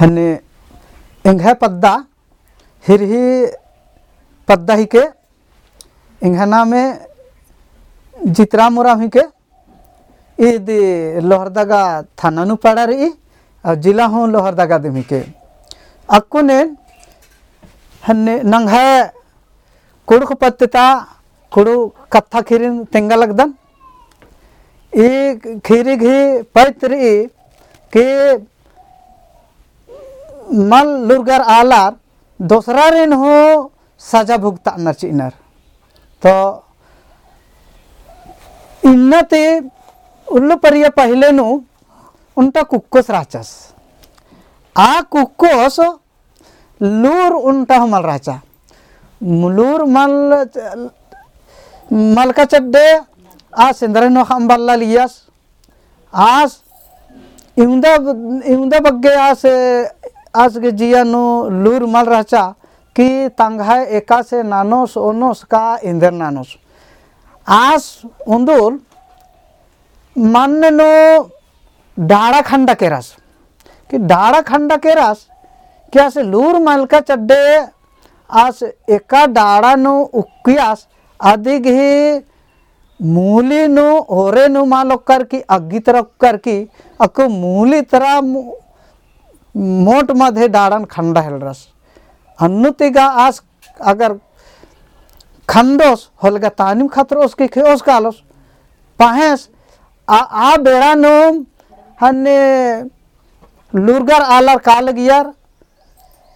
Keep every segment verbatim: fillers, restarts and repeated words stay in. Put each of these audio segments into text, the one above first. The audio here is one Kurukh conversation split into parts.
हन्ने एंग्है पद्दा, हिरही पद्दा हिके, एंग्है नामे जितराम उराँव हिके, ईद लोहरदगा थाना नू पड़ा रई, और जिला हूँ लोहरदगा दिम हिके। अक्कुन एन हन्ने नंग्है कुँड़ुख़ पत्त ता कुँड़ुख़ कत्था ख़ीरिन तेंगा लगदन। ई ख़ीरी गही पैत रई कि मल लूरगर आलर दोसरारिन हूँ सजा भुगतानर चिअनर। तो इन्ना ती उल्ला परिया पहिले नू ओन्टा कुक्कोस रहचस। आ कुक्कोस लूर ओन्टा हूँ मल रहचा। लूर मल, मलका चड्डे आस एन्दरा नू ख़म्बल्ला लियस। आस इवंदा, इवंदा बग्गे आस, आस गे जिया नू लूर मल रहचा कि तंग्है एकासे ननोस, ओनोस का एन्देर ननोस। आस उन्दुल मन्न नू डाड़ा खंडा केरस। कि डाड़ा खंडा केरस, कि आस लूर मलका चड्डे आस एका डाड़ा नू उक्कियस, अदिगही मूली नू ओरे नू मल ओक्कर की अग्गी तरा ओक्कर की, अक्कु मूली तरा मो-, मोट मधे डाड़न खंडा हेलरस। अन्नु तिगा आस अगर खंडोस होले गा तानिम खतरोस की खेओस कालोस। पहेंस आ, आ बेड़ा नू हन्ने लूरगर आलर कालगियर,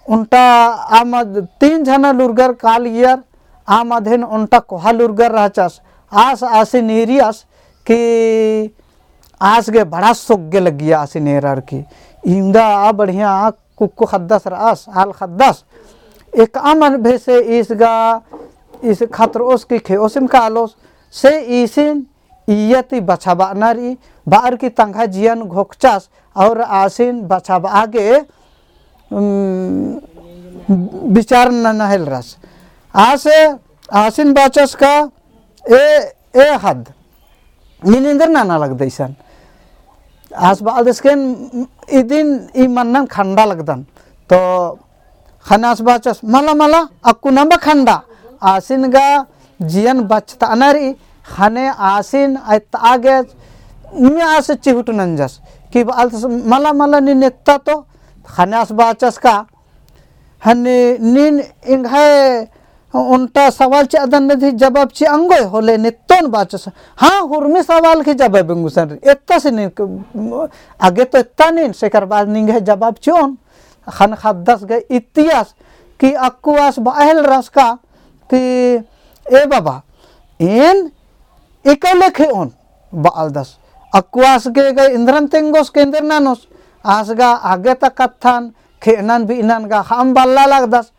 ओन्टा आ मद-, तीन झना लूरगर कालगियर, आ मधेन ओन्टा कोहा लूरगर रहचस। आस आसिन ईरियस कि आस गे बड़ा सोग्गे लग्गिया आसिन एरर की। इवंदा आ बढ़िया कुक्को ख़द्दस रअस, आल ख़द्दस। एकअम बेसे ईस गा, ईस खतरोस की खेओसिम कालोस, से ईसिन इय्या ती बछाबअना रई, बअर की तंग्है जियन घोखचस, और आसिन बछाबआ गे, उम, बिचार नना हेलरस। आस, आसिन बाचस का, ए, ए ख़द्द, नीन एन्देर नना लगदय इसन। आस बअलदस के इदिन ई मन्नन खंडा लगदन। तो ख़ने आस बाचस, मला, मला, अक्कु नम्बा खंडा। आसिन गा जियन बछताना रई, ख़ने आसिन अइतआ गे, मी आस चिहुट नंजस। कि बअलदस, मला, मला, नीन एत्ता तो, ख़ने आस बाचस का, हन्ने नीन एंग्है ओन्टा सवाल चिअदन नदी जवाब चिआ ओंगोय होले नित्तोन बाचस। हाँ, हुरमी सवाल की जवाब एंगुसन रई। एत्ता से नीन क-, आगे तो एत्ता नीन, सेकर बाद निंग्है जवाब चिओन। ख़ने ख़द्दस गे इतियस कि अक्कु आस बआ हेलरस का कि ए बाबा, एन एकले खेओन बअलदस। अक्कु आस गे गा एन्दरन तेंगोस के एन्देर ननोस। आस गा आगे ता कत्थन खेअनन बिअनन गा ख़म्बल्ला लगदस।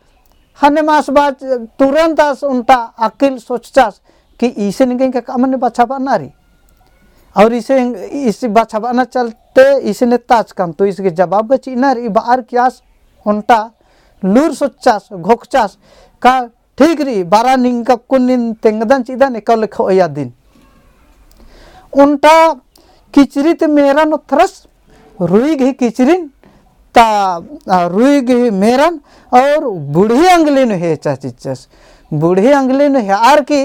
ख़ने आस बाच-, तुरंत आस ओन्टा अकिल सोचचस कि ईसिन गे का अमन बछाबअना रई। और ईसिन, ईस बछाबअना चलते ईसिन एत्ताचकन, तो ईस गे जवाब गा चिअना रई, बअर की आस ओन्टा लूर सोचचस, घोखचस, का ठीक रई, बरा निंगा कुन नीन तेंगदन चिअदन एकले खेओय अदिन। ओन्टा किचरी ती मेरन ओथरस, रुई गही किचरिन ता, आ, रुई गही मेरन और बूढ़ी अंगली नू हेचा चिच्चस। बूढ़ी अंगली नू हेअर की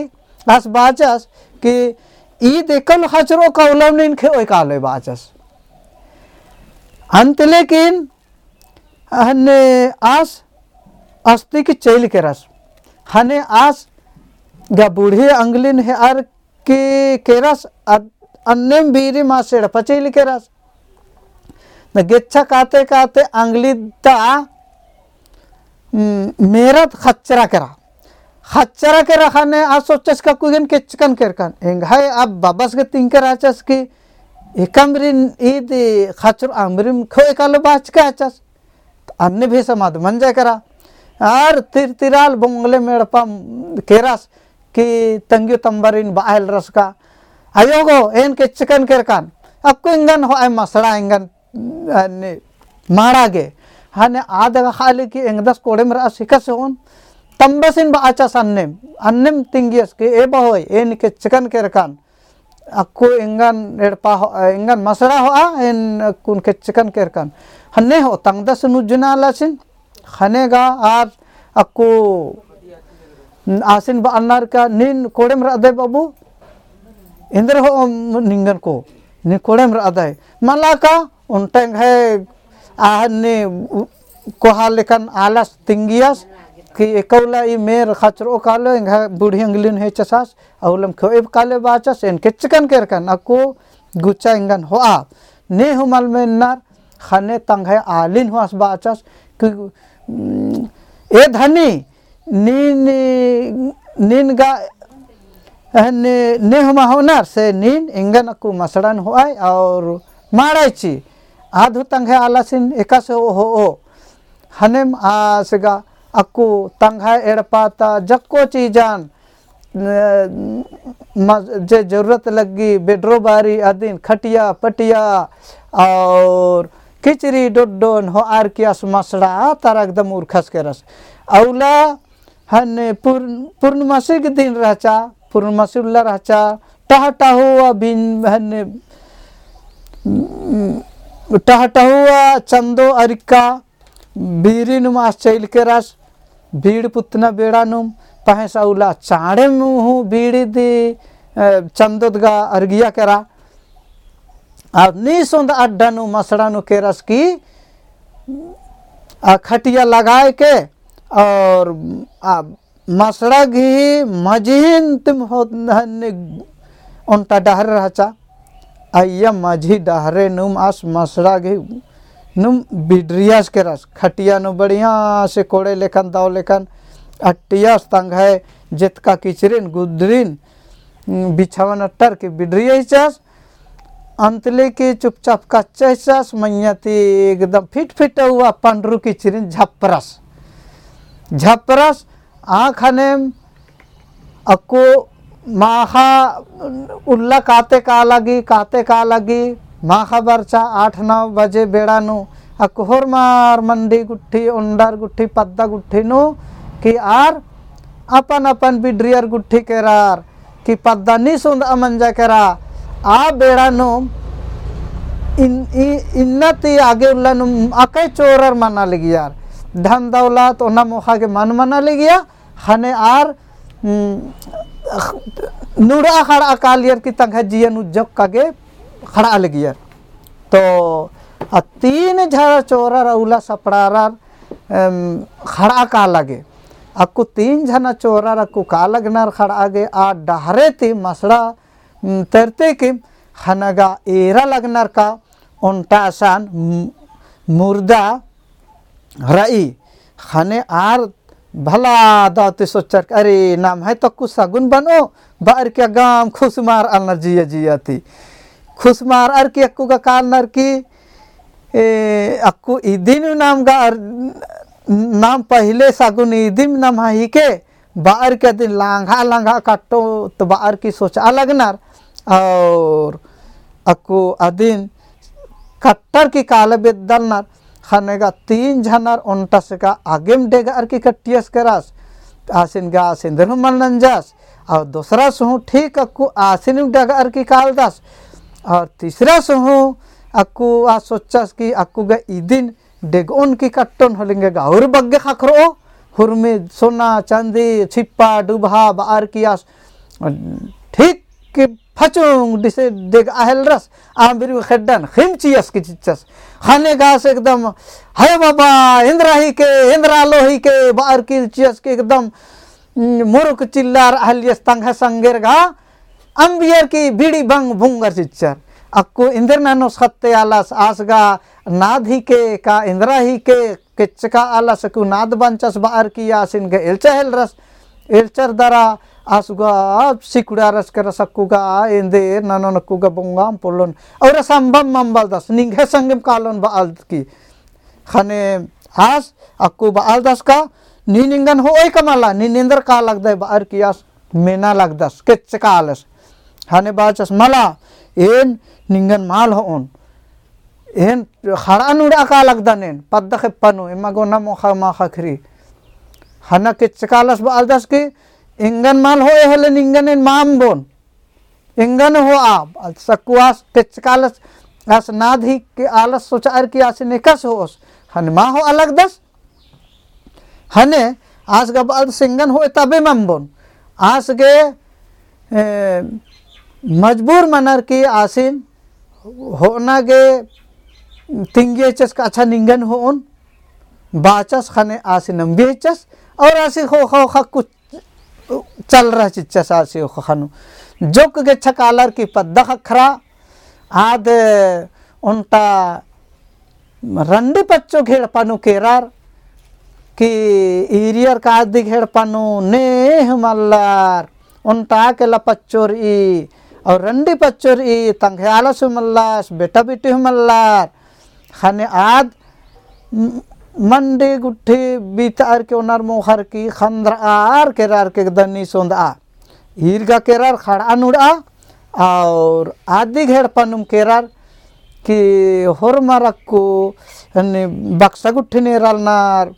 आस बाचस कि ईद एकल ख़चरो का उलम नीन खेओय कालोय बाचस। अन्त लेकिन हन्ने आस अस्ती की चइल केरस। हन्ने आस गा बूढ़ी अंगलिन हेअर की केरस अद-, अन्नेम बीरिम आस एड़पा चइल केरस। न गेच्छा काते काते अंगली ता, उम, मेरत ख़च्चरा केरा। ख़च्चरा केरा ख़ने आस सोचस का अक्कु गे एन केच्चकन केरकन। एंग्है अब बबस गे तिंकर आचस कि एकअमरिन ईद ख़च्चरो अमरिम खेओय कालो बाचका आचस। अन्ने भेसम अद मंजा केरा। आर तिरतिराल बोंगले मेड़पा केरस कि तंग्यो तम्बरिन बआ हेलरस का। अयो गो, एन केच्चकन केरकन। अक्कु एंगन होअय मसड़ा एंगन, अन्ने माड़ा गे। हने आद गा खाली कि एंगदस कोड़ेम रअस हिकस होन। तम्बसिन बाचस अन्नेम, अन्नेम तिंगियस कि ए बहोय, एन केच्चकन केरकन। अक्कु एंगन एड़पा हो-, एंगन मसड़ा होआ, एन अक्कुन केच्चकन केरकन। हन्ने हो तंगदस नुज्जना आलासिन, ख़ने गा आर अक्कु आसिन बअनर का, "नीन कोड़ेम रअदय बाबू?" "एन्देर हो निंगन को, नीन कोड़ेम रअदय?" मला का, ओन्टा एंग्है आहने कोहा लेकन आलस तिंगियस कि एका उल्ला ई मेर खचरओ कालो, एंग्है बुढ़ी अंगलिन हेचसस, अउलम खोएब काले बाचस, एन केच्चकन केरकन, अक्कु गुचा एंगन होआ। ने हूँ मल मेन्नर, ख़ने तंग्है आलिन हुआस बाचस कि, "उम, ए धनी, नीन, नीन गा, ने, ने हूँ मा होनर से नीन एंगन अक्कु मसड़न होआय और माड़ाय ची।" आद हूँ तंग्है आलासिन एकासे हो, हो, हो। ख़नेम आस गा अक्कु तंग्है एड़पा ता जक्को चीजन, अ, म-, जे जरूरत लग्गी, बेडरो बारी अदिन, खटिया, पटिया और किचरी डोड्डोन होअर की आस मसड़ा तरा एकदम उरखस केरस। अउला हन्ने पूर्ण-, पूर्णमासी के दिन रहचा, पूर्णमासी उल्ला रहचा, टहटहुआ बिन हन्ने, टहटहुआ चंदो अरिक्का, बीड़ी नुम आस चइल केरस, बीड़ पुतना बेड़ा नुम, पहें सा उल्ला चाड़ेम हूँ बीड़ी दी, अ, चंदोत गा अरगिया केरा। और नीस ओन्द अड्डा नू मसड़ा नू केरस की, आ, खटिया लगाए के और, आ, मसड़ा गही मझिन तिम हो हन्ने ओन्टा डहरे रहचा। अइय्या मझी डहरे नुम आस मसड़ा गही नुम बिडरियस केरस। खटिया नू बढ़िया से कोड़े लेकन दव लेकन अट्टियस तंग्है जेतका किचरिन गुदरिन, उम, बिछावन अट्टर के बिडरियस। अंतले के चुपचाप कच्चस मइय्याँ ती एकदम फिट फिट हुआ पंडरू किचरिन झपरस। झपरस आ ख़नेम अक्कु माख़ा उल्ला काते का लगी, काते का लगी, माख़ा बरचा आठ नौ बजे बेड़ा नू अक्कु होरमार मंडी गुट्ठी, ओन्डर गुट्ठी, पद्दा गुट्ठी नू कि आर अपन अपन बिडरियर गुट्ठी केरार, कि पद्दा नीस ओन्द अमंजा केरा, आ बेड़ा नुम इन-, इ-, इन्ना ती आगे उल्ला नुम अकय चोरर मना लगियर। धन दौलत ओना मोख़ा गे मल मना लगिया, ख़ने आर, उम, नुड़ा ख़ड़आ कालियर कि तंग्है जियन उज्जोक का गे ख़ड़आ लगियर। तो आ तीन झरा चोरर अउला सपड़ारर एम, ख़ड़आ का लगे। अक्कु तीन झना चोरर अक्कु का लगनर ख़ड़आ गे आ डहरे ती मसड़ा, उम, तेरते कि ख़ने गा एरा लगनर का ओन्टा असन, उम, मुर्दा रई। ख़ने आर भला दव ती सोचर कि अरे नम्है तो अक्कु सगुन बनो, बअर की अगम खुसमारअनर जिया जिया ती। खुसमारअर की अक्कु गा कालनर की ए, अक्कु इदिन नाम गा अर-, नाम पहिले सगुन इदिम नम्है हिके, बअर की अदिन लांघा लांघा कट्टो तो बअर की सोचआ लगनर, और अक्कु अदिन कट्टर की काले बेद्दलनर, ख़ने गा तीन झनर ओन्टस गा आगेम डेगअर की कट्टियस केरस, आसिन गा आसिन दरहु मल नंजस, और दोसरा सुहु ठीक अक्कु आसिन डेगअर की कालदस, और तीसरा सुहु अक्कु आ सोचस कि अक्कु गा इदिन डेगओन की कट्टोन होले एंगा गा और बग्गे ख़क्खरओ, हुरमी सोना, चांदी, छिप्पा, डुबहा, बअर की आस ठीक कि फचुंग डिसे डेगआ हेलरस, आम बिरी खेड्डन, ख़िम चियस की चिच्चस। ख़ने गा आस एकदम, "हे बाबा, एन्दरा हिके, एन्दरा लो हिके," बअर की चियस की एकदम, उम, मुरुक चिल्लार हलियस तंग्है संगेर गा, अम्बियर की बीड़ी बंग बुंगर चिच्चर। अक्कु एन्देर ननोस ख़त्ते आलस आस गा नाद हिके का एन्दरा हिके केच्चका आलस अक्कु नाद बंचस बअर की आसिन गा एल्चा हेलरस। एल्चर दरा आस गा सिकुड़ारस केरस अक्कु गा एन्देर ननोन अक्कु गा बोंगाम पोल्लोन। और संबम मम्बलदस निंग्है संगेम कालोन बअलदस की। ख़ने आस अक्कु बअलदस का नीन एंगन होओय का मला, नीन एन्देर का लगदय बअर की आस मेना लगदस, केच्चका आलस। ख़ने बाचस मला, एन निंगन मल होओन। एन ख़ड़आ नुड़आ का लगदन एन, पद्दा खेप्पा नू, एमा गा ओना मोख़ा मा ख़क्खरी। ख़ने केच्चका आलस बअलदस की, एंगन मल होओय होले निंगन एन मा अम्बोन। एंगन होआ, सक्कु आस टेचका आलस, आस नाद ही के आलस सोचअर की आसिन एकासे होओस। ख़ने मा होआ लगदस। ख़ने आस गा बअदस एंगन होए तबे मल अम्बोन। आस गे, ए, मजबूर मनर की आसिन होअना गे तिंगियचस का अच्छा निंगन होओन बाचस। ख़ने आसिन अम्बियचस और आसिन ख़ोख़ा ख़ोख़ा कुछ चल रहा चिच्चस आसी ओखा ख़नु। जोक गे छकालर की पद्दा ख़क्खरा, आद ओन्टा रंडी पच्चो घेड़पा नू केरर कि ईरियर का आदी घेड़पा नू ने हूँ मल्लर, ओन्टा केला पच्चो रई, और रंडी पच्चो रई, तंग्है आलस हूँ मल्लस, बेटा बेटी हूँ मल्लर। ख़ने आद म-, मंडी गुट्ठी बीतअर के ओनर मोख़र की ख़न्दरअर केरर के दनी सोंदआ। ईर गा केरर ख़ड़आ नुड़आ और आदी घेड़पा नुम केरर कि होरमर अक्कु हन्नी बक्सा गुट्ठिन एरालनर,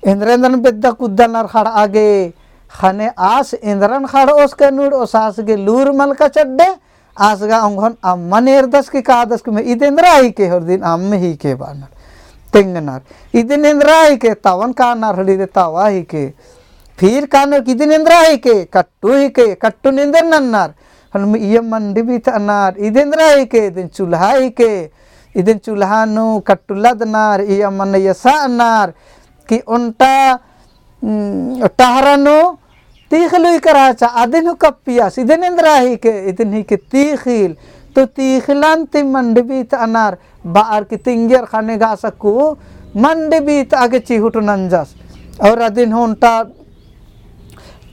एन्दरा एन्दरन बेद्दा कुद्दालनर ख़ड़आ गे। ख़ने आस एन्दरन ख़ड़ओस के नुड़ओस आस गे लूर मलका चड्डे, आस गा ओंगोन अम्मन एरदस की कादस की मैं इद एन्दरा हिके होर दिन अम्म हिके बानर। तेंगनर। इदिन एन्दरा हिके, तवन कानर हड़ी दे तवा हिके। फिर कानर कि इदिन एन्दरा हिके, कट्टू हिके, कट्टू एन्देर नन्नर। हन इय मंडी बीतअनर, इदिन एन्दरा हिके, इदिन चूल्हा हिके, इदिन चूल्हा नू कट्टू लदनर, इय मन यसाअनर, कि ओन्टा उम, टहरा नू तीखिल उइकर रहचा, अदिन हूँ कप्पियस, इदिन एन्दरा हिके, इदिन हिके तीखिल, तो तीखिलन ती मंडी बीतअनर, बअर की तिंगियर ख़ने गा आस अक्कु मंडी बीतआ गे चिहुट नंजस, और अदिन हूँ ओन्टा,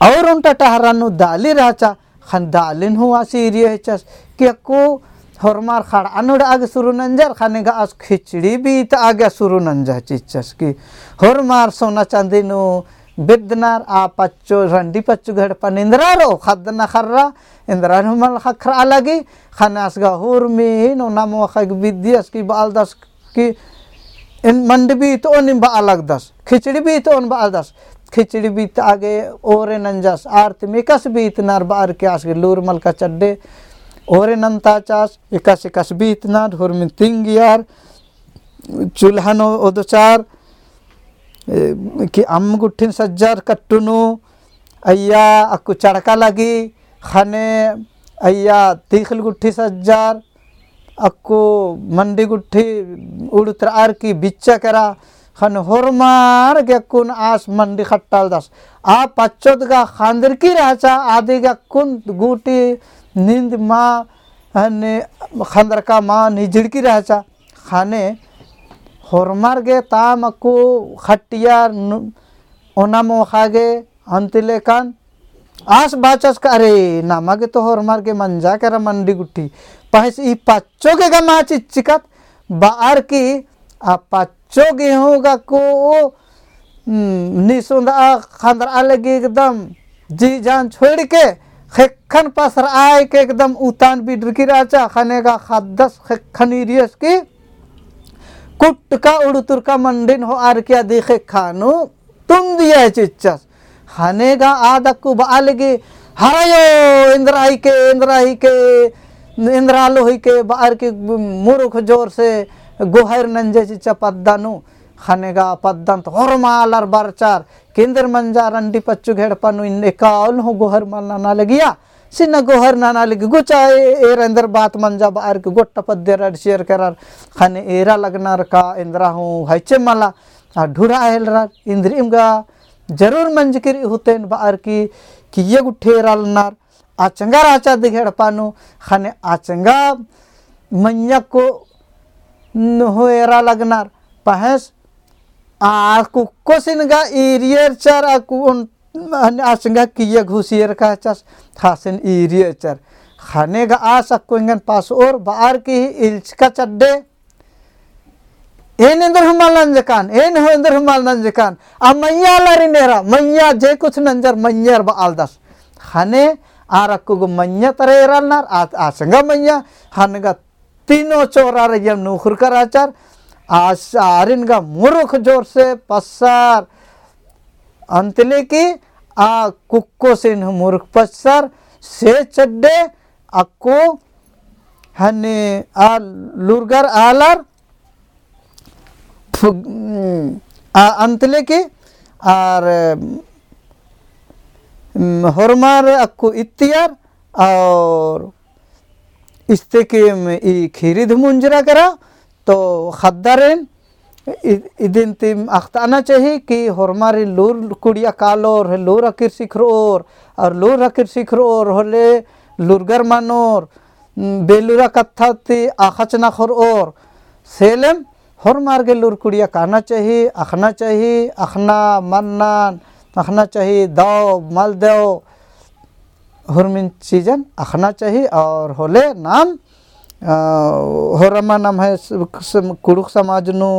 और ओन्टा टहरा नू दाली रहचा, ख़ने दालिन हूँ आस ईरियचस कि अक्कु होरमार ख़ड़आ नुड़आ गे सुरु नंजर, ख़ने गा आस खिचड़ी बीतआ गे सुरु नंजर चिच्चस कि होरमार सोना चाँदी नू बेद्दनर आ पच्चो, रंडी पच्चो घेड़पन एन्दरा रओ, ख़द्दना ख़र्रा, एन्दरा हूँ मल ख़क्खरआ लगी, ख़ने आस गा होरमिन ओना मोख़ा गे बिद्दियस कि बअलदस कि एन मंडी बीतओन बआ लगदस, खिचड़ी बीतओन बआ लगदस। खिचड़ी बीतआ गे ओरे नंजस, आर तिम एकासे बीतनर बअर की आस गे लूर मलका चड्डे। ओरे नन्ताचस, एकासे एकासे बीतनर, होरमिन तिंगियर, चूल्हा नू ओदचर, ए, कि अम्म गुट्ठिन सज्जर कट्टू नू, अइय्या अक्कु चड़का लगी, ख़ने अइय्या तीखिल गुट्ठी सज्जर, अक्कु मंडी गुट्ठी उड़ुतरअर की बिच्चा केरा, ख़ने होरमार गे अक्कुन आस मंडी खट्टालदस। आ पच्चोद गा ख़न्दरकी रहचा, आदि गे अक्कुन गूटी नींद मा, हने ख़न्दरका मा निजड़की रहचा। ख़ने होरमार गे ताम अक्कु खट्टियर नू-, ओना मोख़ा गे अन्ती लेकन आस बाचस का, अरे, नमा गे तो होरमार गे मंजा केरा मंडी गुट्ठी। पहेस ई पच्चो गे गा मा चिच्चिकत बअर की आ पच्चो गे हूँ गा को, हम्म, निसुंदा ख़न्दरआ लगी एकदम जी जान छोड़ के, ख़ेक्खन पसरआ के एकदम उतान बिडरकी रहचा, ख़ने गा ख़द्दस ख़ेक्खन ईरियस की कुट्टका उड़ुतुरका मंडिन होअर की अदी ख़ेक्खा नू तुन्दिया चिच्चस। ख़ने गा आद अक्कु बआ लगी, हरयो, एन्दरा हिके, एन्दरा हिके, एन्दरा लो हिके, बअर की मुरुख जोर से गोहर नंजे चिच्चा पद्दा नू। ख़ने गा पद्दन तो होरमार आलर बरचर, कि एन्देर मंजा रंडी पच्चो घेड़पा नू इन्ने एकाउल हूँ गोहर मल नना लगिया, सिन्ना गोहर नना लगी गुचा ए-, एरा एन्देर बात मंजा बअर की गोट्टा पद्दे रडसियर केरर। ख़ने एरा लगनर का एन्दरा हूँ हइचे मला, आ ढुढ़ा हेलरर, इन्द्रिम गा जरूर मंजकी रई हुतेन बअर की, किइय्या गुट्ठी एरा लगनर, अचंगा रहचा अदी घेड़पा नू, ख़ने अचंगा मइय्याँ को नू हूँ एरा लगनर, पहेस आ कुक्कोसिन गा ईरियर चर आ कु-, उन-, अचंगा किइय्या घुसियर कहचस, ख़ासिन ईरियर चर। ख़ने गा आस अक्कु एंगन पासओर बअर की इल्चका चड्डे, एन एन्देर हूँ मल नंजकन, एन हूँ एन्देर हूँ मल नंजकन। आ मइय्याँ आलारिन एरा, मइय्याँ जे कुछ नंजर मइय्याँ बआलदस। ख़ने आर अक्कु गो मइय्याँ तरा एरालनर, आ, अचंगा मइय्याँ, ख़ने गा तीनों चोर आर अइय्यम नूख़ुरका रहचर, आ, आरिन गा मुरुख जोर से पस्सर, अन्ती लेकी आ कुक्कोसिन हूँ मुरुख पस्सर, से चड्डे, अक्कु हने आ लूरगर आलर फु-, आ, अंतले की आर, उम, होरमर अक्कु इत्तियर और इस्ते की, उम, ई खीरिद मुंजरा केरा, तो ख़द्दारिन इ-, इदिन तिम अख़ताना चाही कि होरमारिन लूर कुड़िया कालोर, लूर अकिर सिखरओर, और लूर अकिर सिखरओर होले लूरगर मनोर, उम, बेलूरा कत्था ती अख़चना ख़ोरओर, सेलेम होरमार गे लूर कुड़िया काना चाही, अख़ना चाही, अख़ना मन्नन, अख़ना चाही, दव, मल दव, होरमिन चीजन अख़ना चाही और होले नाम, अ, होरमा नम्है स-, स-, कुँड़ुख़ समाज नू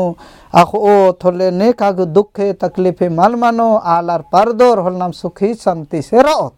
अख़ओत होले नेका गे दुखे तकलीफे मल मनो, आलर परदोर होले नाम सुखी शांति से रओत।